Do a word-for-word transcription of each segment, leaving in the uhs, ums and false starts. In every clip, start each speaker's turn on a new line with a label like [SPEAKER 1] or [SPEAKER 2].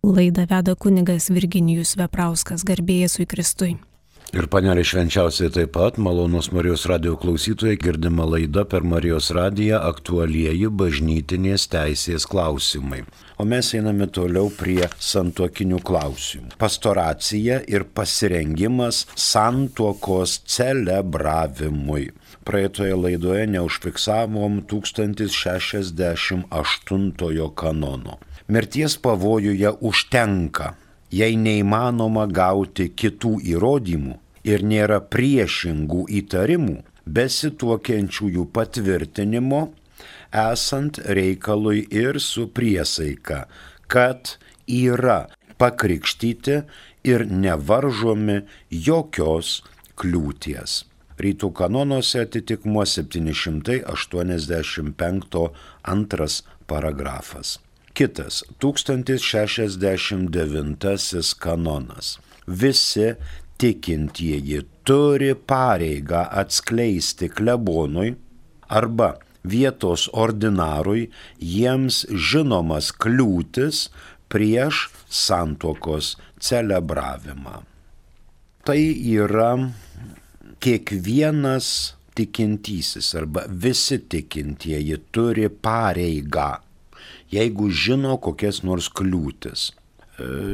[SPEAKER 1] Laidą veda kunigas Virginijus Veprauskas, garbė Jėzui Kristui.
[SPEAKER 2] Ir panelė švenčiausiai taip pat, malonūs Marijos radijo klausytojai, girdima laida per Marijos radiją aktualieji bažnytinės teisės klausimai. O mes einame toliau prie santuokinių klausimų. Pastoracija ir pasirengimas santuokos celebravimui. Praeitoje laidoje neužfiksavom tūkstantis šešiasdešimt aštuntojo kanono. Mirties pavojuje užtenka, jei neįmanoma gauti kitų įrodymų ir nėra priešingų įtarimų, besituokiančiųjų patvirtinimo, esant reikalui ir su priesaika, kad yra pakrikštyti ir nevaržomi jokios kliūties. Rytų kanonuose atitikmuo septyni šimtai aštuoniasdešimt penktas antras paragrafas. Kitas, tūkstantis šešiasdešimt devintasis kanonas. Visi tikintieji turi pareigą atskleisti klebonui arba vietos ordinarui jiems žinomas kliūtis prieš santuokos celebravimą. Tai yra kiekvienas tikintysis arba visi tikintieji turi pareigą, jeigu žino kokias nors kliūtis.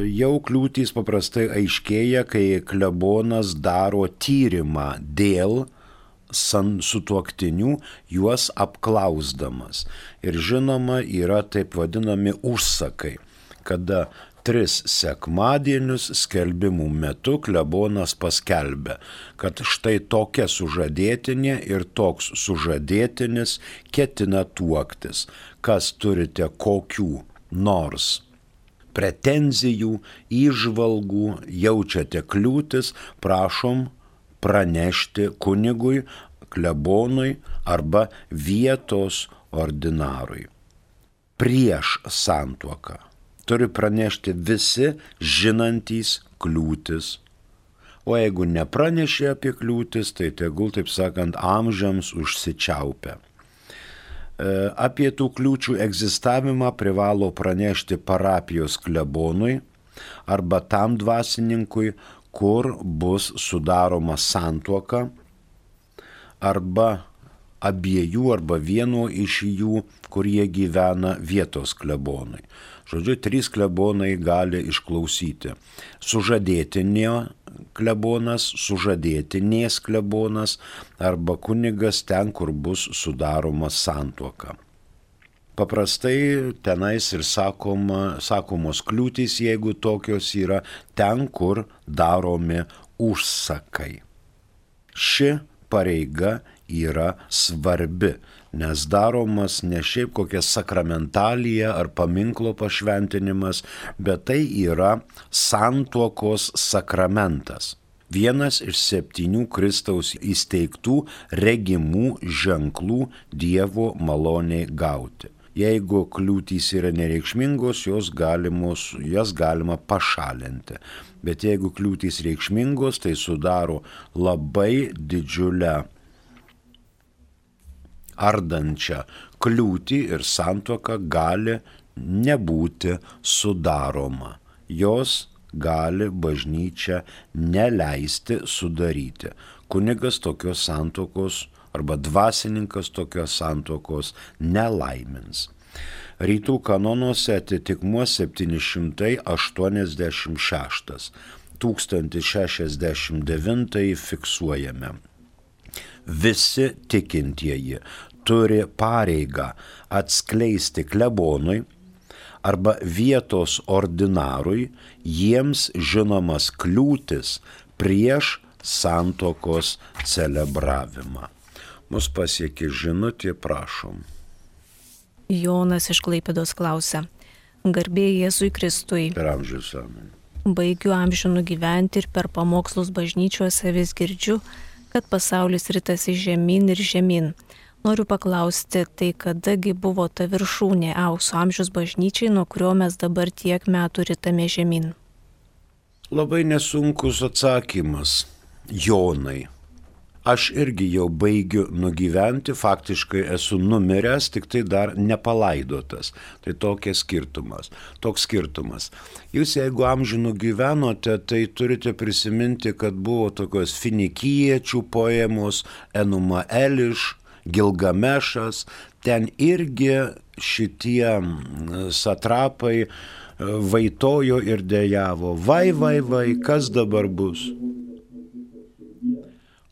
[SPEAKER 2] Jau kliūtys paprastai aiškėja, kai klebonas daro tyrimą dėl sutuoktinių, juos apklausdamas. Ir žinoma, yra taip vadinami užsakai, kada tris sekmadienius skelbimų metu klebonas paskelbia, kad štai tokia sužadėtinė ir toks sužadėtinis ketina tuoktis. Kas turite kokių nors pretenzijų, įžvalgų, jaučiate kliūtis, prašom pranešti kunigui, klebonui arba vietos ordinarui. Prieš santuoką turi pranešti visi žinantys kliūtis. O jeigu nepranešė apie kliūtis, tai tegul, taip sakant, amžiams užsičiaupia. Apie tų kliūčių egzistavimą privalo pranešti parapijos klebonui arba tam dvasininkui, kur bus sudaroma santuoka, arba abiejų arba vieno iš jų, kur jie gyvena vietos klebonui. Žodžiu, trys klebonai gali išklausyti. Sužadėtinio klebonas, sužadėtinės klebonas arba kunigas ten, kur bus sudaroma santuoka. Paprastai tenais ir sakoma, sakomos kliūtys, jeigu tokios yra, ten, kur daromi užsakai. Ši pareiga yra svarbi, nes daromas ne šiaip kokia sakramentalija ar paminklo pašventinimas, bet tai yra santuokos sakramentas. Vienas iš septynių Kristaus įsteigtų regimų ženklų Dievo maloniai gauti. Jeigu kliūtys yra nereikšmingos, jos galimos, jas galima pašalinti. Bet jeigu kliūtys reikšmingos, tai sudaro labai didžiulę ardančią kliūtį ir santuoka gali nebūti sudaroma. Jos gali bažnyčia neleisti sudaryti. Kunigas tokios santuokos arba dvasininkas tokios santuokos nelaimins. Rytų kanonuose atitikmuo septyni šimtai aštuoniasdešimt šeštas, tūkstantis šešiasdešimt devintas fiksuojame. Visi tikintieji turi pareigą atskleisti klebonui arba vietos ordinarui jiems žinomas kliūtis prieš santuokos celebravimą. Mus pasiekė žinutė, prašom.
[SPEAKER 1] Jonas iš Klaipėdos klausia. Garbė Jėzui Kristui.
[SPEAKER 2] Per amžius amen.
[SPEAKER 1] Baigiu amžių nugyventi ir per pamokslus bažnyčiuose vis girdžiu, kad pasaulis ritasi žemyn ir žemyn. Noriu paklausti, tai kadagi buvo ta viršūnė aukso amžiaus bažnyčiai, nuo kurio mes dabar tiek metų ritame žemyn?
[SPEAKER 2] Labai nesunkus atsakymas, Jonai. Aš irgi jau baigiu nugyventi, faktiškai esu numiręs, tik tai dar nepalaidotas. Tai tokia skirtumas, toks skirtumas. Jūs jeigu amžinų gyvenote, tai turite prisiminti, kad buvo tokios finikiečių poemos, Enuma Eliš, Gilgamešas, ten irgi šitie satrapai vaitojo ir dejavo. Vai, vai, vai, kas dabar bus?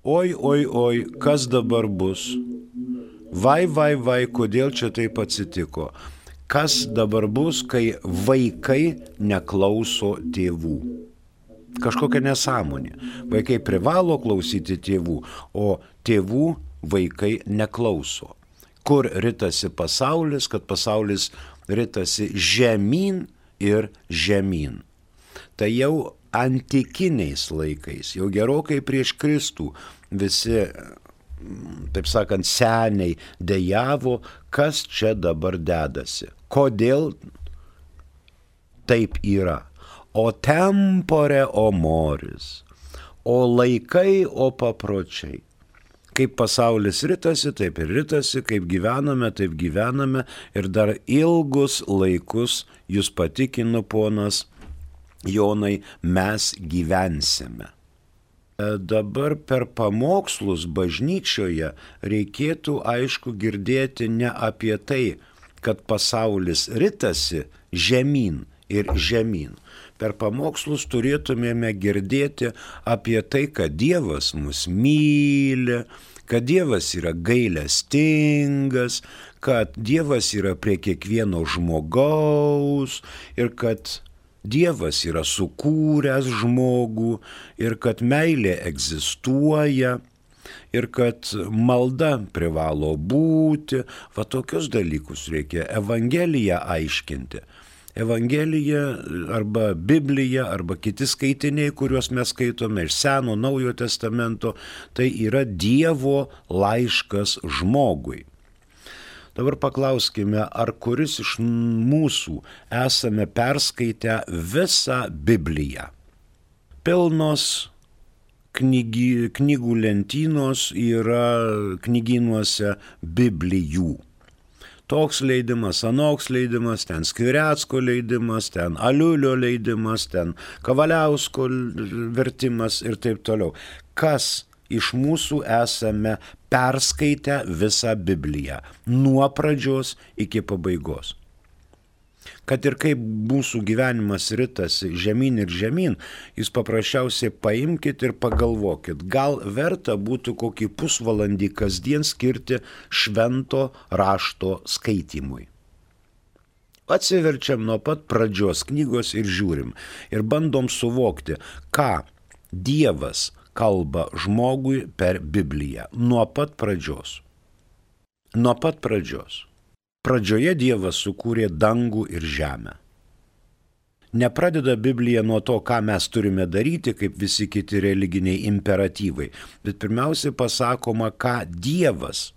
[SPEAKER 2] Oi, oi, oi, kas dabar bus? Vai, vai, vai, kodėl čia taip atsitiko? Kas dabar bus, kai vaikai neklauso tėvų? Kažkokia nesąmonė. Vaikai privalo klausyti tėvų, o tėvų vaikai neklauso. Kur ritasi pasaulis, kad pasaulis ritasi žemyn ir žemyn. Tai jau antikiniais laikais, jau gerokai prieš Kristų, visi, taip sakant, seniai dejavo, kas čia dabar dedasi. Kodėl taip yra? O tempore, o moris, o laikai, o papročiai. Kaip pasaulis ritasi, taip ir ritasi, kaip gyvename, taip gyvename ir dar ilgus laikus, jūs patikino ponas Jonai, mes gyvensime. Dabar per pamokslus bažnyčioje reikėtų aišku girdėti ne apie tai, kad pasaulis ritasi žemyn ir žemyn. Per pamokslus turėtumėme girdėti apie tai, kad Dievas mus myli, kad Dievas yra gailestingas, kad Dievas yra prie kiekvieno žmogaus ir kad Dievas yra sukūręs žmogų ir kad meilė egzistuoja ir kad malda privalo būti. Va tokius dalykus reikia Evangeliją aiškinti. Evangelija arba Biblija arba kiti skaitiniai, kuriuos mes skaitome iš Seno, Naujojo testamento, tai yra Dievo laiškas žmogui. Dabar paklauskime, ar kuris iš mūsų esame perskaitę visą Bibliją. Pilnos knygi, knygų lentynos yra knygynuose Biblijų. Toks leidimas, anoks leidimas, ten Skvirecko leidimas, ten Aliulio leidimas, ten Kavaliausko vertimas ir taip toliau. Kas iš mūsų esame perskaitę visą Bibliją, nuo pradžios iki pabaigos? Kad ir kaip mūsų gyvenimas ritasi žemyn ir žemyn, jūs paprasčiausiai paimkite ir pagalvokit, gal verta būtų kokį pusvalandį kasdien skirti švento rašto skaitymui. Atsiverčiam nuo pat pradžios knygos ir žiūrim ir bandom suvokti, ką Dievas kalba žmogui per Bibliją. Nuo pat pradžios. Nuo pat pradžios. Pradžioje Dievas sukūrė dangų ir žemę. Nepradeda Biblija nuo to, ką mes turime daryti, kaip visi kiti religiniai imperatyvai, bet pirmiausia pasakoma, ką Dievas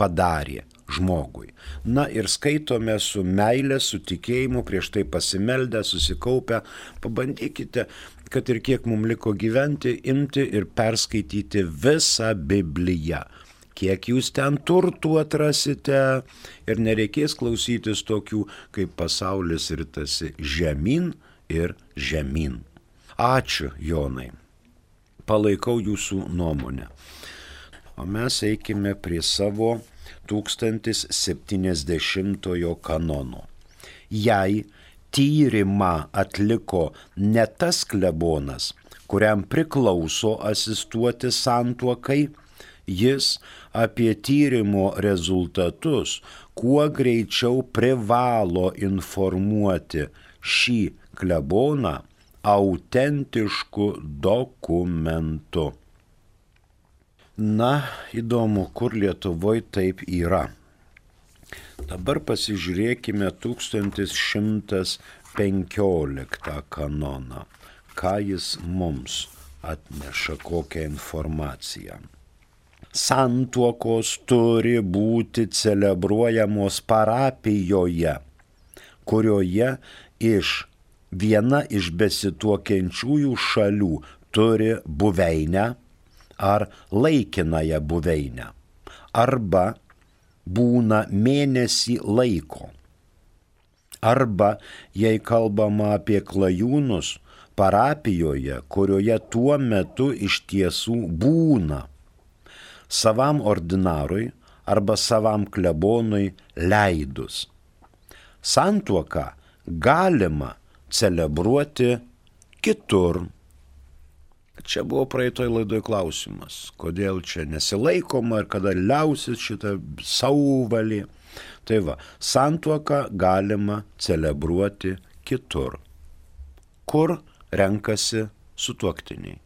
[SPEAKER 2] padarė žmogui. Na ir skaitome su meilė, su tikėjimu, prieš tai pasimeldę, susikaupę. Pabandykite, kad ir kiek mums liko gyventi, imti ir perskaityti visą Bibliją. Kiek jūs ten turtų atrasite ir nereikės klausytis tokių, kaip pasaulis ritasi žemyn ir žemyn. Ačiū, Jonai. Palaikau jūsų nuomonę. O mes eikime prie savo tūkstantis septyniasdešimtojo kanono. Jei tyrimą atliko ne tas klebonas, kuriam priklauso asistuoti santuokai, jis apie tyrimo rezultatus kuo greičiau privalo informuoti šį kleboną autentišku dokumentu. Na, įdomu, kur Lietuvoje taip yra. Dabar pasižiūrėkime tūkstantis šimtas penkioliktą kanoną. Ką jis mums atneša, kokią informaciją. Santuokos turi būti celebruojamos parapijoje, kurioje iš viena iš besituokiančiųjų šalių turi buveinę ar laikinąją buveinę, arba būna mėnesį laiko. Arba, jei kalbama apie klajūnus, parapijoje, kurioje tuo metu iš tiesų būna, savam ordinarui arba savam klebonui leidus. Santuoką galima celebruoti kitur. Čia buvo praeitoj laidoj klausimas, kodėl čia nesilaikoma ir kada liausis šitą sauvalį. Tai va, santuoką galima celebruoti kitur, kur renkasi sutuoktiniai.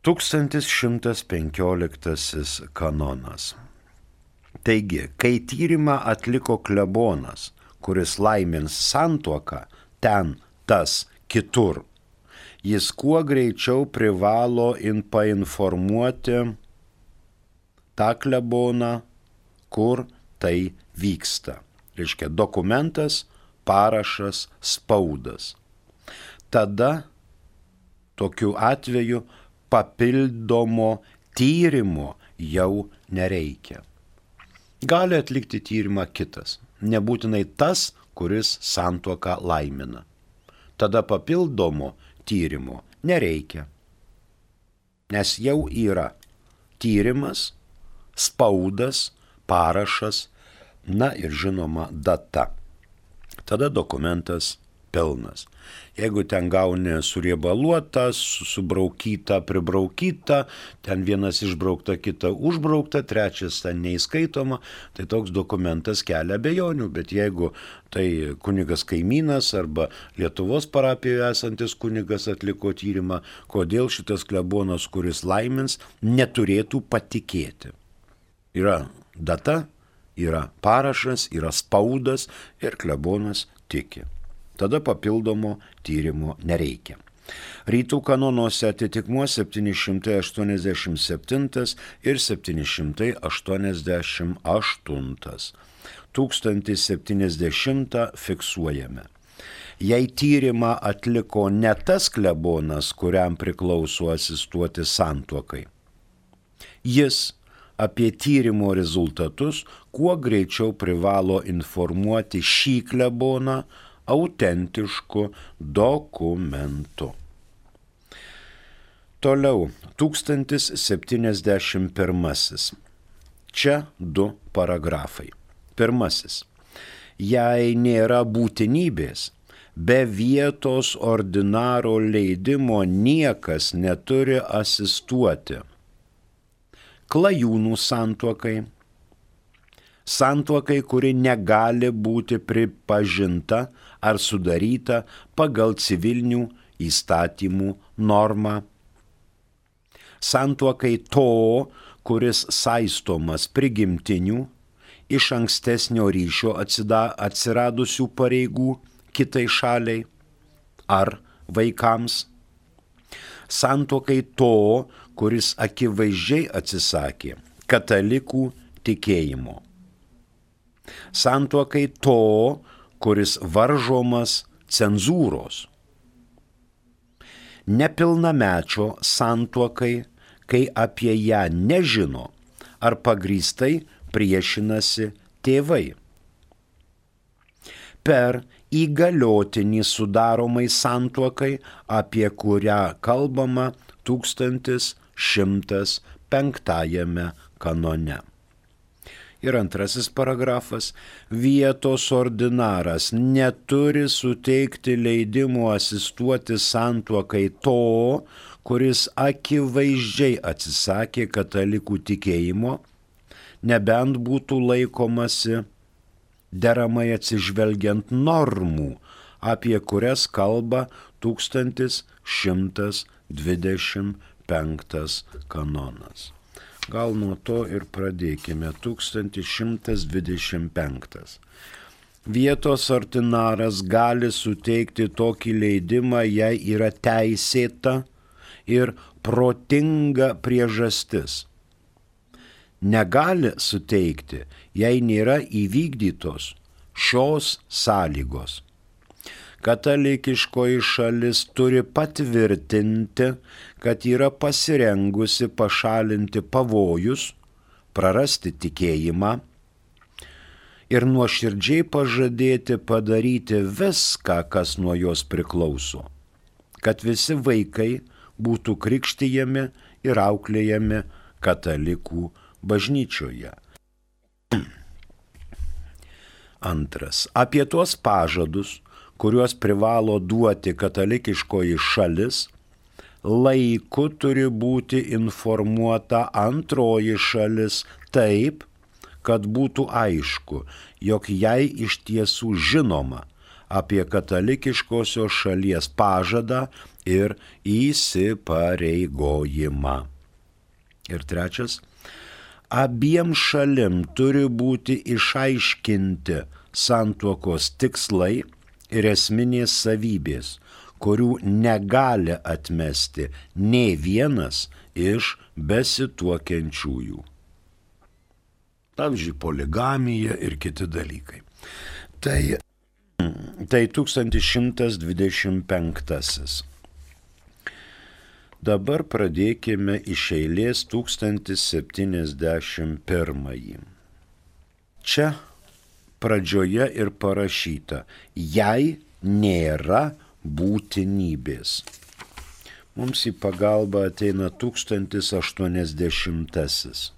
[SPEAKER 2] tūkstantis šimtas penkioliktasis kanonas. Taigi, kai tyrimą atliko klebonas, kuris laimins santuoką ten, tas, kitur, jis kuo greičiau privalo in painformuoti tą kleboną, kur tai vyksta. Reiškia dokumentas, parašas, spaudas. Tada tokiu atveju papildomo tyrimo jau nereikia. Gali atlikti tyrimą kitas, nebūtinai tas, kuris santuoką laimina. Tada papildomo tyrimo nereikia, nes jau yra tyrimas, spaudas, parašas, na ir žinoma data. Tada dokumentas pilnas. Jeigu ten gauni suriebaluotą, subraukytą, pribraukytą, ten vienas išbraukta, kita užbraukta, trečias ten neįskaitoma, tai toks dokumentas kelia abejonių, bet jeigu tai kunigas kaimynas arba Lietuvos parapijoje esantis kunigas atliko tyrimą, kodėl šitas klebonas, kuris laimins, neturėtų patikėti. Yra data, yra parašas, yra spaudas ir klebonas tiki. Tada papildomo tyrimo nereikia. Rytų kanonuose atitikmuo septyni šimtai aštuoniasdešimt septintas ir septyni šimtai aštuoniasdešimt aštuntas. tūkstantis septyniasdešimtą fiksuojame. Jei tyrimą atliko ne tas klebonas, kuriam priklauso asistuoti santuokai, jis apie tyrimo rezultatus kuo greičiau privalo informuoti šį kleboną autentišku dokumentu. Toliau, tūkstantis septyniasdešimt pirmasis. Čia du paragrafai. Pirmasis. Jei nėra būtinybės, be vietos ordinaro leidimo niekas neturi asistuoti klajūnų santuokai, santuokai, kuri negali būti pripažinta ar sudaryta pagal civilinių įstatymų normą, santuokai to, kuris saistomas prigimtinių, iš ankstesnio ryšio atsiradusių pareigų kitai šaliai ar vaikams, santuokai to, kuris akivaizdžiai atsisakė katalikų tikėjimo, santuokai to, kuris varžomas cenzūros, nepilnamečio santuokai, kai apie ją nežino ar pagrįstai priešinasi tėvai, per įgaliotinį sudaromai santuokai, apie kurią kalbama tūkstantis šimtas penktajame kanone. Ir antrasis paragrafas. Vietos ordinaras neturi suteikti leidimo asistuoti santuokai to, kuris akivaizdžiai atsisakė katalikų tikėjimo, nebent būtų laikomasi deramai atsižvelgiant normų, apie kurias kalba tūkstantis šimtas dvidešimt penktas kanonas. Gal nuo to ir pradėkime. tūkstantis šimtas dvidešimt penktas. Vietos ordinaras gali suteikti tokį leidimą, jei yra teisėta ir protinga priežastis. Negali suteikti, jei nėra įvykdytos šios sąlygos. katalikiškoji šalis turi patvirtinti, kad yra pasirengusi pašalinti pavojus, prarasti tikėjimą ir nuoširdžiai pažadėti padaryti viską, kas nuo jos priklauso, kad visi vaikai būtų krikštijami ir auklėjami katalikų bažnyčioje. Antras. Apie tuos pažadus, kuriuos privalo duoti katalikiškoji šalis, laiku turi būti informuota antroji šalis taip, kad būtų aišku, jog jai iš tiesų žinoma apie katalikiškosios šalies pažadą ir įsipareigojimą. Ir trečias. Abiem šalim turi būti išaiškinti santuokos tikslai ir esminės savybės, kurių negali atmesti nė vienas iš besituokiančiųjų. Pavyzdžiui, poligamija ir kiti dalykai. Tai, tai tūkstantis šimtas dvidešimt penktasis. Dabar pradėkime iš eilės tūkstantis septyniasdešimt pirmąjį. Čia pradžioje ir parašyta, jei nėra būtinybės. Mums į pagalbą ateina tūkstantis aštuoniasdešimtasis.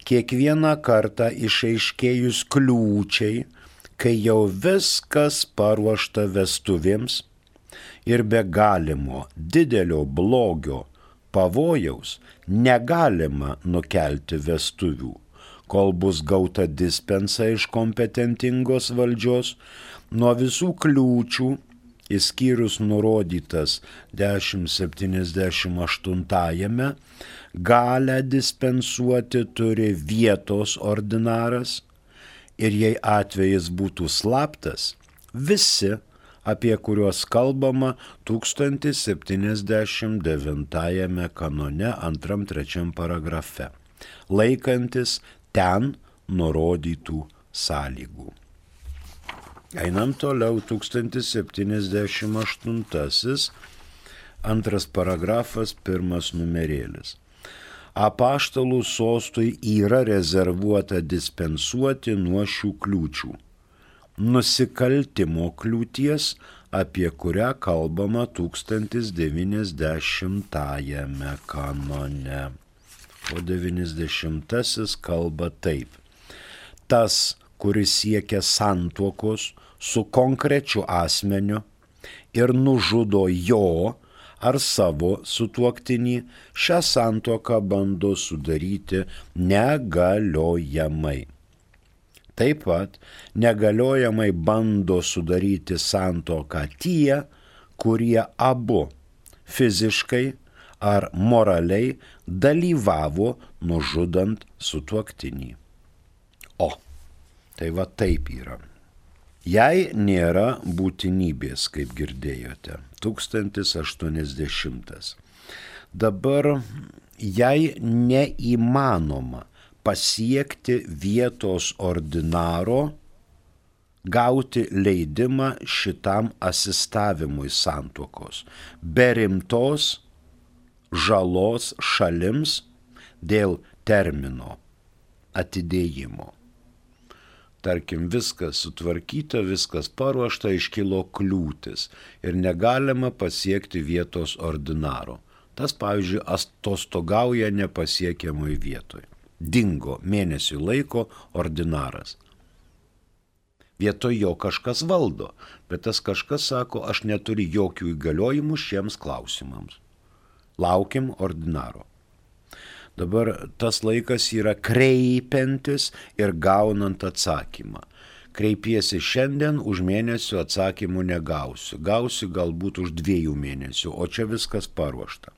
[SPEAKER 2] Kiekvieną kartą išaiškėjus kliūčiai, kai jau viskas paruošta vestuvėms, ir be galimo didelio blogio pavojaus negalima nukelti vestuvių, kol bus gauta dispensa iš kompetentingos valdžios, nuo visų kliūčių, išskyrus nurodytas dešimt septyniasdešimt aštuntajame, galę dispensuoti turi vietos ordinaras ir jei atvejis būtų slaptas, visi, apie kuriuos kalbama tūkstantis septyniasdešimt devintajame kanone antram trečiam paragrafe, laikantis ten nurodytų sąlygų. Einam toliau, tūkstantis septyniasdešimt aštuntasis, antras paragrafas, pirmas numerėlis. Apaštalų sostui yra rezervuota dispensuoti nuo šių kliūčių. Nusikaltimo kliūties, apie kurią kalbama tūkstantis devyniasdešimtajame kanone. O devyniasdešimtasis kalba taip. Tas, kuris siekia santuokos su konkrečiu asmeniu ir nužudo jo ar savo sutuoktinį, šią santuoką bando sudaryti negaliojamai. Taip pat negaliojamai bando sudaryti santuoką tie, kurie abu fiziškai ar moraliai dalyvavo nužudant sutuoktinį. O, tai va taip yra. Jei nėra būtinybės, kaip girdėjote, tūkstantis aštuoniasdešimtas. Dabar, jei neįmanoma pasiekti vietos ordinaro, gauti leidimą šitam asistavimui santuokos, be rimtos žalos šalims dėl termino atidėjimo. Tarkim, viskas sutvarkyta, viskas paruošta, iškilo kliūtis ir negalima pasiekti vietos ordinaro. Tas, pavyzdžiui, atostogauja nepasiekiamoj vietoj. Dingo mėnesių laiko ordinaras. Vietoj jo kažkas valdo, bet tas kažkas sako, aš neturiu jokių įgaliojimų šiems klausimams. Laukim ordinaro. Dabar tas laikas yra kreipiantis ir gaunant atsakymą. Kreipiesi šiandien, už mėnesių atsakymų negausiu. Gausiu galbūt už dviejų mėnesių, o čia viskas paruošta.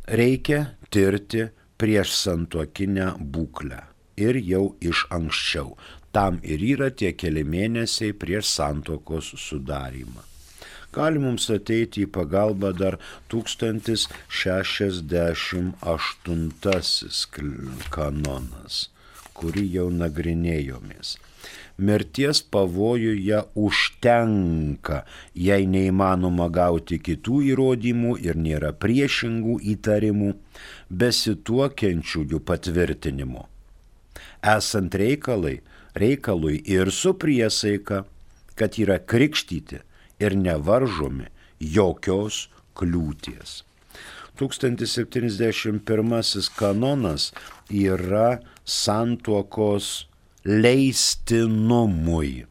[SPEAKER 2] Reikia tirti prieš santuokinę būklę ir jau iš anksčiau. Tam ir yra tie keli mėnesiai prieš santuokos sudarymą. Gali mums ateiti į pagalbą dar tūkstantis šešiasdešimt aštuntasis kanonas, kurį jau nagrinėjomės. mirties pavojuje užtenka, jei neįmanoma gauti kitų įrodymų ir nėra priešingų įtarimų, besituokiančiųjų patvirtinimo. Esant reikalai, reikalui ir su priesaika, kad yra krikštyti ir nevaržomi jokios kliūties. tūkstantis septyniasdešimt pirmasis kanonas yra santuokos leistinumui,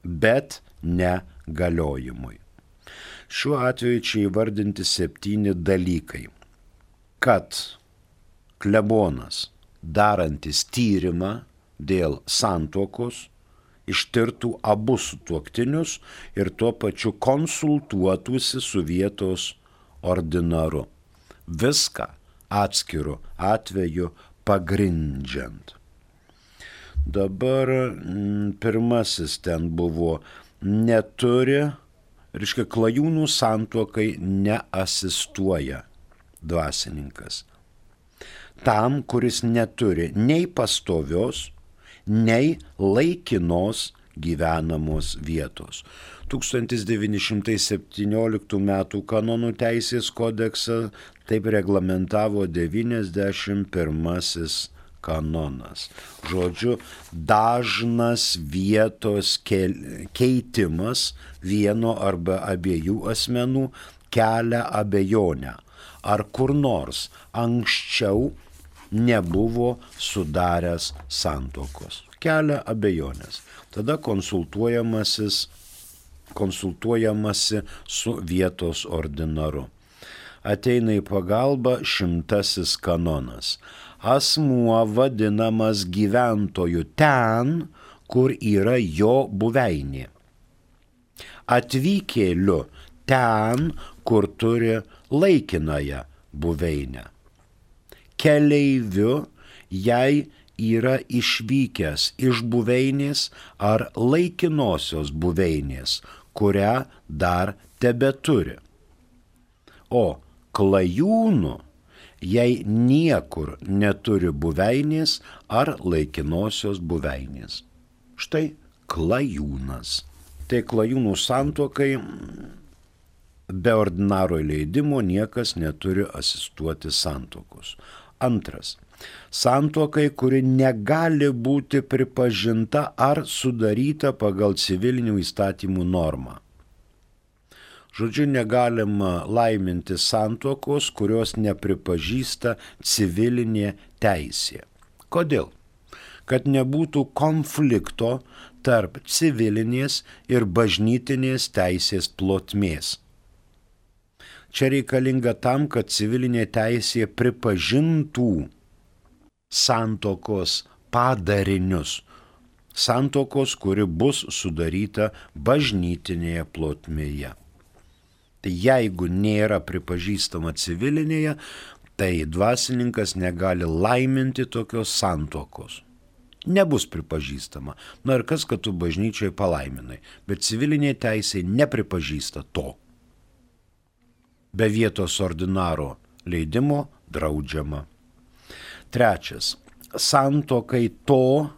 [SPEAKER 2] bet ne galiojimui. Šiuo atveju čia įvardinti septyni dalykai. Kad klebonas, darantis tyrimą dėl santuokos, ištirtų abu sutuoktinius ir tuo pačiu konsultuotųsi su vietos ordinaru. Viską atskiru atveju pagrindžiant. Dabar m, pirmasis ten buvo neturi, reiškia, klajūnų santuokai neasistuoja dvasininkas. Tam, kuris neturi nei pastovios, nei laikinos gyvenamos vietos. tūkstantis devyni šimtai septynioliktų metų kanonų teisės kodeksą taip reglamentavo devyniasdešimt pirmasis kanonas. Žodžiu, dažnas vietos keitimas vieno arba abiejų asmenų kelia abejonę, ar kur nors anksčiau nebuvo sudaręs santuokos. Kelia abejonės. Tada konsultuojamasis, konsultuojamasi su vietos ordinaru. Ateina į pagalbą šimtasis kanonas. Asmuo vadinamas gyventoju ten, kur yra jo buveinė. Atvykėliu ten, kur turi laikinąją buveinę. Keleiviu, jei yra išvykęs iš buveinės ar laikinosios buveinės, kurią dar tebeturi. O klajūnu, jei niekur neturi buveinės ar laikinosios buveinės. Štai klajūnas. Tai klajūnų santuokai be ordinaro leidimo niekas neturi asistuoti santuokos. Antras. Santuokai, kuri negali būti pripažinta ar sudaryta pagal civilinių įstatymų normą. Žodžiu, negalima laiminti santuokos, kurios nepripažįsta civilinė teisė. Kodėl? Kad nebūtų konflikto tarp civilinės ir bažnytinės teisės plotmės. Čia reikalinga tam, kad civilinė teisė pripažintų santuokos padarinius. Santuokos, kuri bus sudaryta bažnytinėje plotmėje. Tai jeigu nėra pripažįstama civilinėje, tai dvasininkas negali laiminti tokios santuokos. Nebus pripažįstama. Na ir kas, kad tu bažnyčioje palaiminai, bet civilinė teisė nepripažįsta to. Be vietos ordinaro leidimo draudžiama. Trečias. Santuokai to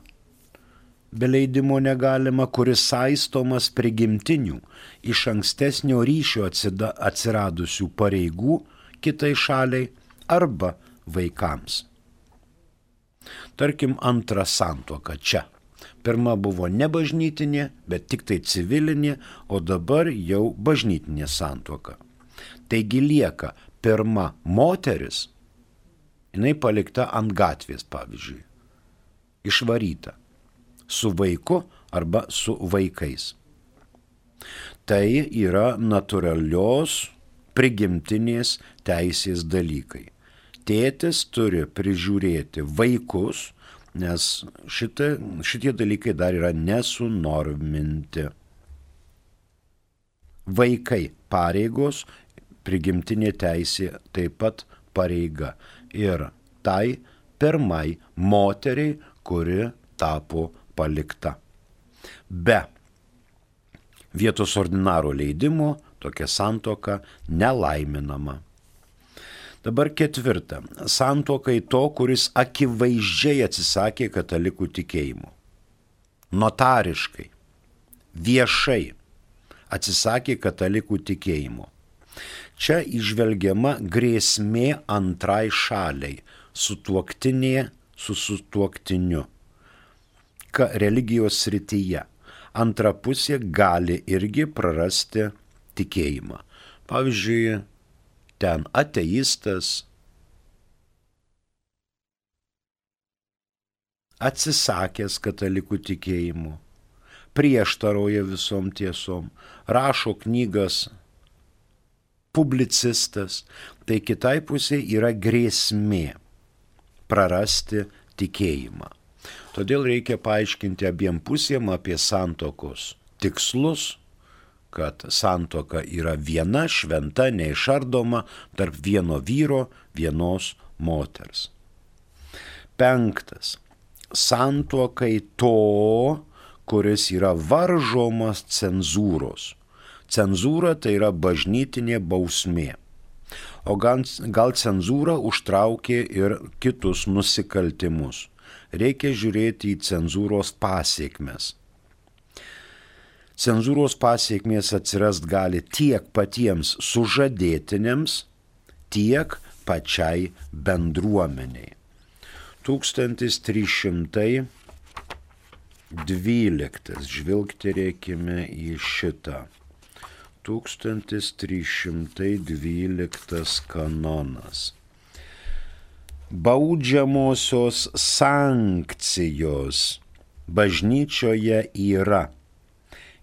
[SPEAKER 2] be leidimo negalima, kuris saistomas prigimtinių iš ankstesnio ryšio atsiradusių pareigų kitai šaliai arba vaikams. Tarkim, antra santuoka čia. Pirma buvo ne bažnytinė, bet tik tai civilinė, o dabar jau bažnytinė santuoka. Taigi lieka pirma moteris, jinai palikta ant gatvės, pavyzdžiui, išvaryta, su vaiku arba su vaikais. Tai yra natūralios prigimtinės teisės dalykai. Tėtis turi prižiūrėti vaikus, nes šitie, šitie dalykai dar yra nesunorminti. Vaikai pareigos, prigimtinė teisė taip pat pareiga. Ir tai pirmai moteriai, kuri tapo palikta. Be vietos ordinaro leidimo tokia santuoka nelaiminama. Dabar ketvirta. Santuokai to, kuris akivaizdžiai atsisakė katalikų tikėjimo. notariškai, viešai atsisakė katalikų tikėjimo. Čia įžvelgiama grėsmė antrai šaliai, sutuoktinė su sutuoktiniu, ka religijos srityje. Antra pusė gali irgi prarasti tikėjimą. Pavyzdžiui, ten ateistas atsisakęs katalikų tikėjimų, prieštaroja visom tiesom, rašo knygas, publicistas, tai kitai pusė yra grėsmė prarasti tikėjimą. Todėl reikia paaiškinti abiem pusėm apie santuokos tikslus, kad santuoka yra viena, šventa, neišardoma tarp vieno vyro, vienos moters. Penktas. Santuokai to, kuris yra varžomas cenzūros. Cenzūra tai yra bažnytinė bausmė. O gal, gal cenzūra užtraukė ir kitus nusikaltimus. Reikia žiūrėti į cenzūros pasiekmes. Cenzūros pasiekmės atsirast gali tiek patiems sužadėtiniams, tiek pačiai bendruomeniai. tūkstantis trys šimtai dvyliktas, žvilgterėkime į šitą. tūkstantis trys šimtai dvyliktas kanonas. Baudžiamosios sankcijos bažnyčioje yra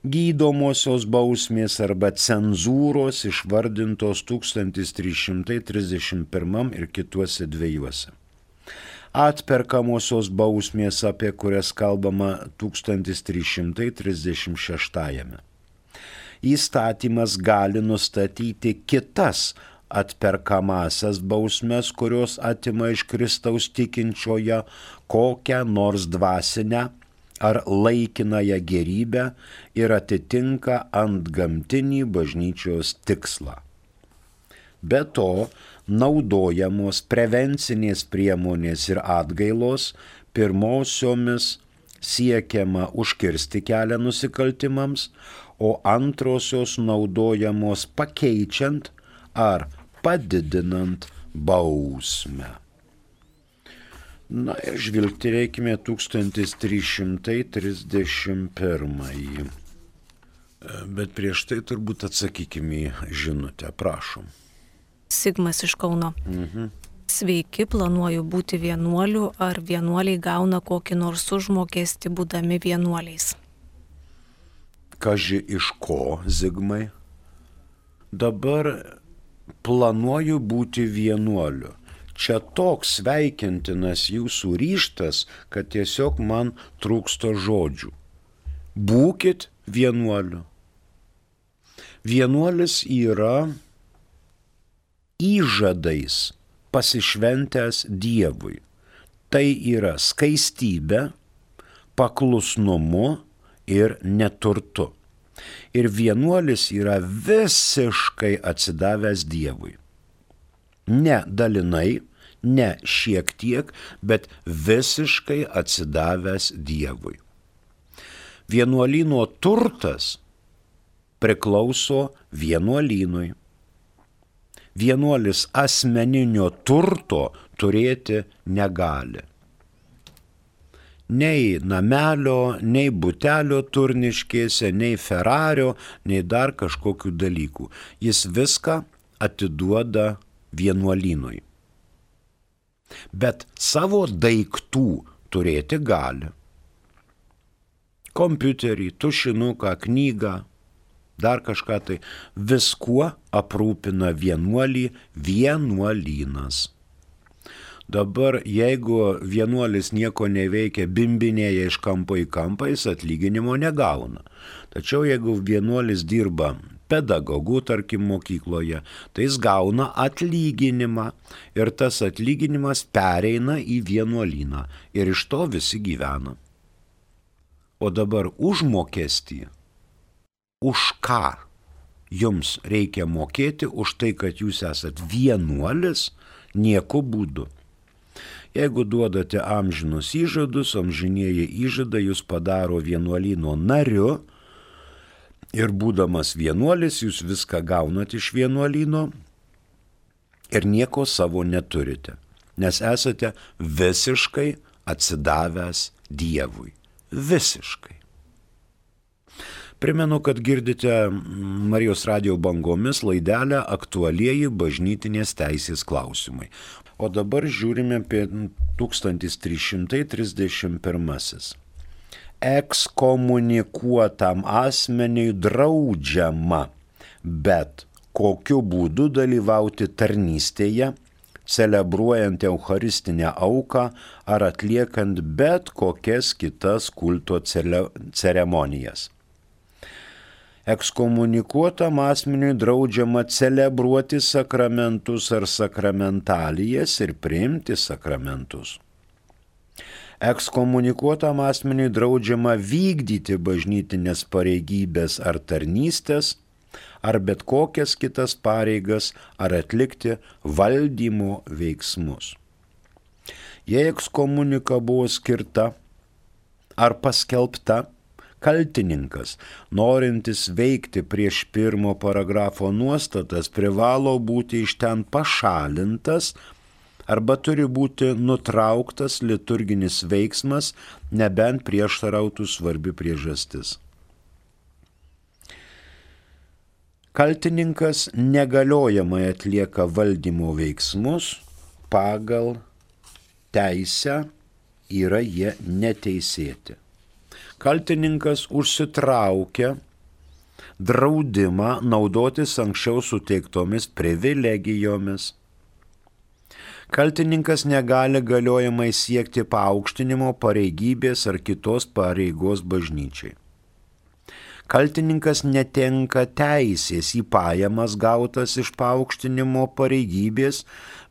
[SPEAKER 2] gydomosios bausmės arba cenzūros išvardintos tūkstantis trys šimtai trisdešimt pirmam ir kituose dviejuose. Atperkamosios bausmės, apie kurias kalbama tūkstantis trys šimtai trisdešimt šeštajame. Įstatymas gali nustatyti kitas atperkamasias bausmes, kurios atima iš Kristaus tikinčiojo kokią nors dvasinę ar laikinąją gerybę ir atitinka antgamtinį bažnyčios tikslą. Be to, naudojamos prevencinės priemonės ir atgailos, pirmosiomis siekiama užkirsti kelią nusikaltimams, o antrosios naudojamos pakeičiant ar padidinant bausmę. Na ir žvilgterėkime tūkstantis trys šimtai trisdešimt pirmąjį. Bet prieš tai turbūt atsakykime į žinutę, prašom.
[SPEAKER 1] Sigmas iš Kauno.
[SPEAKER 2] Mhm.
[SPEAKER 1] Sveiki, planuoju būti vienuoliu, ar vienuoliai gauna kokį nors užmokestį būdami vienuoliais?
[SPEAKER 2] Kaži iš ko, Zigmai? Dabar planuoju būti vienuoliu. Čia toks sveikintinas jūsų ryžtas, kad tiesiog man trūksta žodžių. Būkit vienuoliu. Vienuolis yra įžadais pasišventęs Dievui. Tai yra skaistybė, paklusnumu ir neturtu. Ir vienuolis yra visiškai atsidavęs Dievui. Ne dalinai, ne šiek tiek, bet visiškai atsidavęs Dievui. Vienuolyno turtas priklauso vienuolynui. Vienuolis asmeninio turto turėti negali. Nei namelio, nei butelio Turniškėse, nei Ferario, nei dar kažkokių dalykų. Jis viską atiduoda vienuolynui. Bet savo daiktų turėti gali. Kompiuterį, tušinuką, knygą, dar kažką tai, viskuo aprūpina vienuolį vienuolynas. Dabar, jeigu vienuolis nieko neveikia, bimbinėja iš kampo į kampą, jis atlyginimo negauna. Tačiau jeigu vienuolis dirba pedagogų, tarkim, mokykloje, tai jis gauna atlyginimą ir tas atlyginimas pereina į vienuolyną ir iš to visi gyvena. O dabar užmokestį, už ką jums reikia mokėti už tai, kad jūs esat vienuolis, nieku būdu. Jeigu duodate amžinus įžadus, amžinieji įžadai jūs padaro vienuolyno nariu ir būdamas vienuolis jūs viską gaunat iš vienuolyno ir nieko savo neturite, nes esate visiškai atsidavęs Dievui. Visiškai. Primenu, kad girdite Marijos radijo bangomis laidelę Aktualieji bažnytinės teisės klausimai. O dabar žiūrime apie tūkstantis trys šimtai trisdešimt pirmasis. Ekskomunikuotam asmeniui draudžiama, bet kokiu būdu dalyvauti tarnystėje, celebruojant eucharistinę auką ar atliekant bet kokias kitas kulto ceremonijas. Ekskomunikuotam asmeniui draudžiama celebruoti sakramentus ar sakramentalijas ir priimti sakramentus. Ekskomunikuotam asmeniui draudžiama vykdyti bažnytinės pareigybės ar tarnystės, ar bet kokias kitas pareigas, ar atlikti valdymo veiksmus. Jei ekskomunika buvo skirta ar paskelbta, kaltininkas, norintis veikti prieš pirmo paragrafo nuostatas, privalo būti iš ten pašalintas arba turi būti nutrauktas liturginis veiksmas, nebent prieštarautų svarbi priežastis. Kaltininkas negaliojamai atlieka valdymo veiksmus, pagal teisę yra jie neteisėti. Kaltininkas užsitraukia draudimą naudotis anksčiau suteiktomis privilegijomis. Kaltininkas negali galiojamai siekti paaukštinimo, pareigybės ar kitos pareigos bažnyčiai. Kaltininkas netenka teisės į pajamas gautas iš paaukštinimo, pareigybės,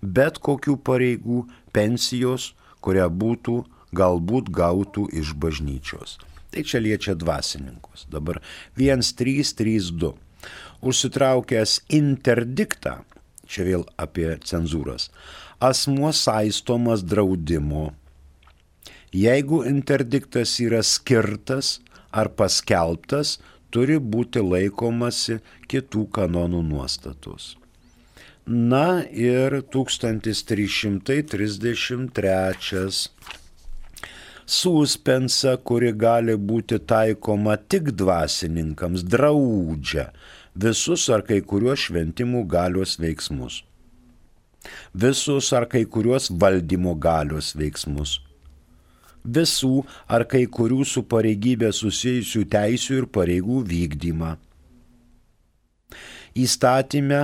[SPEAKER 2] bet kokių pareigų, pensijos, kurią būtų galbūt gautų iš bažnyčios. Tai čia liečia dvasininkus. Dabar vienas trys trys du. Užsitraukęs interdiktą, čia vėl apie cenzūras, asmuo saistomas draudimo. Jeigu interdiktas yra skirtas ar paskelbtas, turi būti laikomasi kitų kanonų nuostatos. Na ir tūkstantis trys šimtai trisdešimt trečias. Suspensa, kuri gali būti taikoma tik dvasininkams, draudžia visus ar kai kuriuos šventimų galios veiksmus, visus ar kai kuriuos valdymo galios veiksmus, visų ar kai kurių su pareigybė susijusių teisių ir pareigų vykdymą. Įstatyme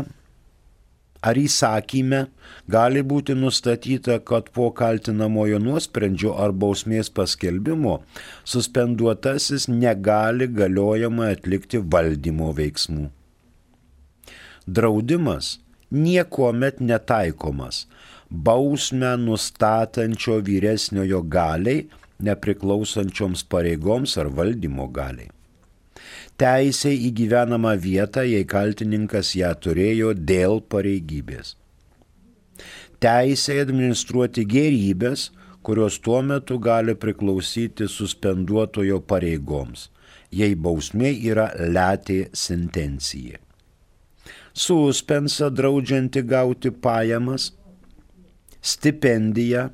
[SPEAKER 2] ar įsakyme gali būti nustatyta, kad po kaltinamojo nuosprendžio ar bausmės paskelbimo suspenduotasis negali galiojamai atlikti valdymo veiksmų. Draudimas niekuomet netaikomas bausmę nustatančio vyresniojo galiai, nepriklausančioms pareigoms ar valdymo galiai. Teisė į gyvenamą vietą, jei kaltininkas ją turėjo dėl pareigybės. Teisė administruoti gėrybės, kurios tuo metu gali priklausyti suspenduotojo pareigoms, jei bausmė yra letė sentencija. Suspensa draudžianti gauti pajamas, stipendiją,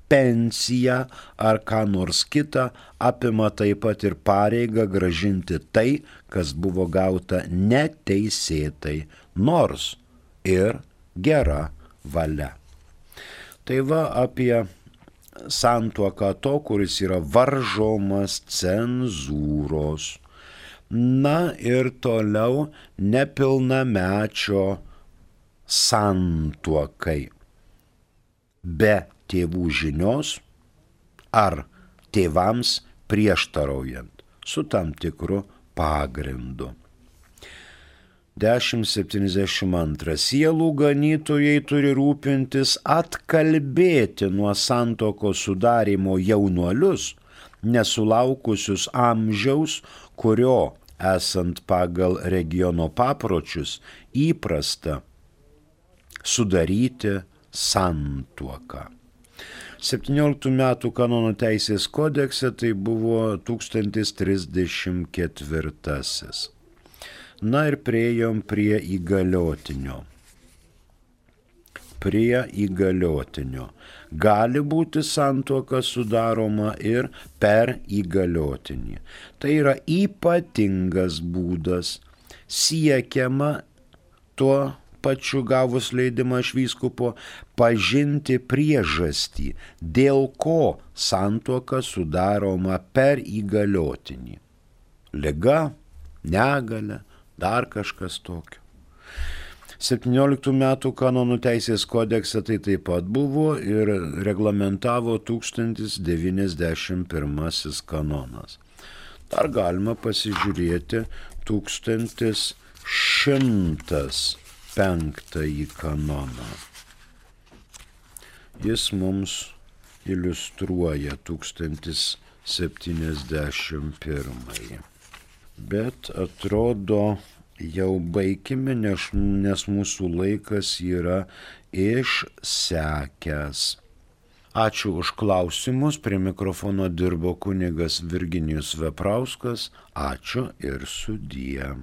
[SPEAKER 2] pensiją ar ką nors kitą apima taip pat ir pareigą grąžinti tai, kas buvo gauta neteisėtai, nors ir gera valia. Tai va apie santuoką to, kuris yra varžomas cenzūros. Na ir toliau nepilnamečio santuokai. Be tėvų žinios ar tėvams prieštaraujant su tam tikru pagrindu. dešimt septyniasdešimt du. Sielų ganytojai turi rūpintis atkalbėti nuo santuokos sudarymo jaunuolius, nesulaukusius amžiaus, kurio, esant pagal regiono papročius, įprasta sudaryti santuoką. septynioliktų metų kanonų teisės kodekse tai buvo tūkstantis trisdešimt ketvirtasis. Na ir priejom prie įgaliotinio. Prie įgaliotinio. Gali būti santuoka sudaroma ir per įgaliotinį. Tai yra ypatingas būdas, siekiama tuo pačiu gavus leidimą iš vyskupo pažinti priežastį, dėl ko santuoka sudaroma per įgaliotinį. Liga, negalia, dar kažkas tokio. septynioliktų metų kanonų teisės kodekse tai taip pat buvo ir reglamentavo tūkstantis devyniasdešimt pirmasis kanonas. Dar galima pasižiūrėti tūkstantis šimtas penktąjį kanoną. Jis mums iliustruoja tūkstantis septyniasdešimt pirmąjį. Bet atrodo, jau baigime, nes, nes mūsų laikas yra išsekęs. Ačiū už klausimus, prie mikrofono dirbo kunigas Virginijus Veprauskas. Ačiū ir sudie.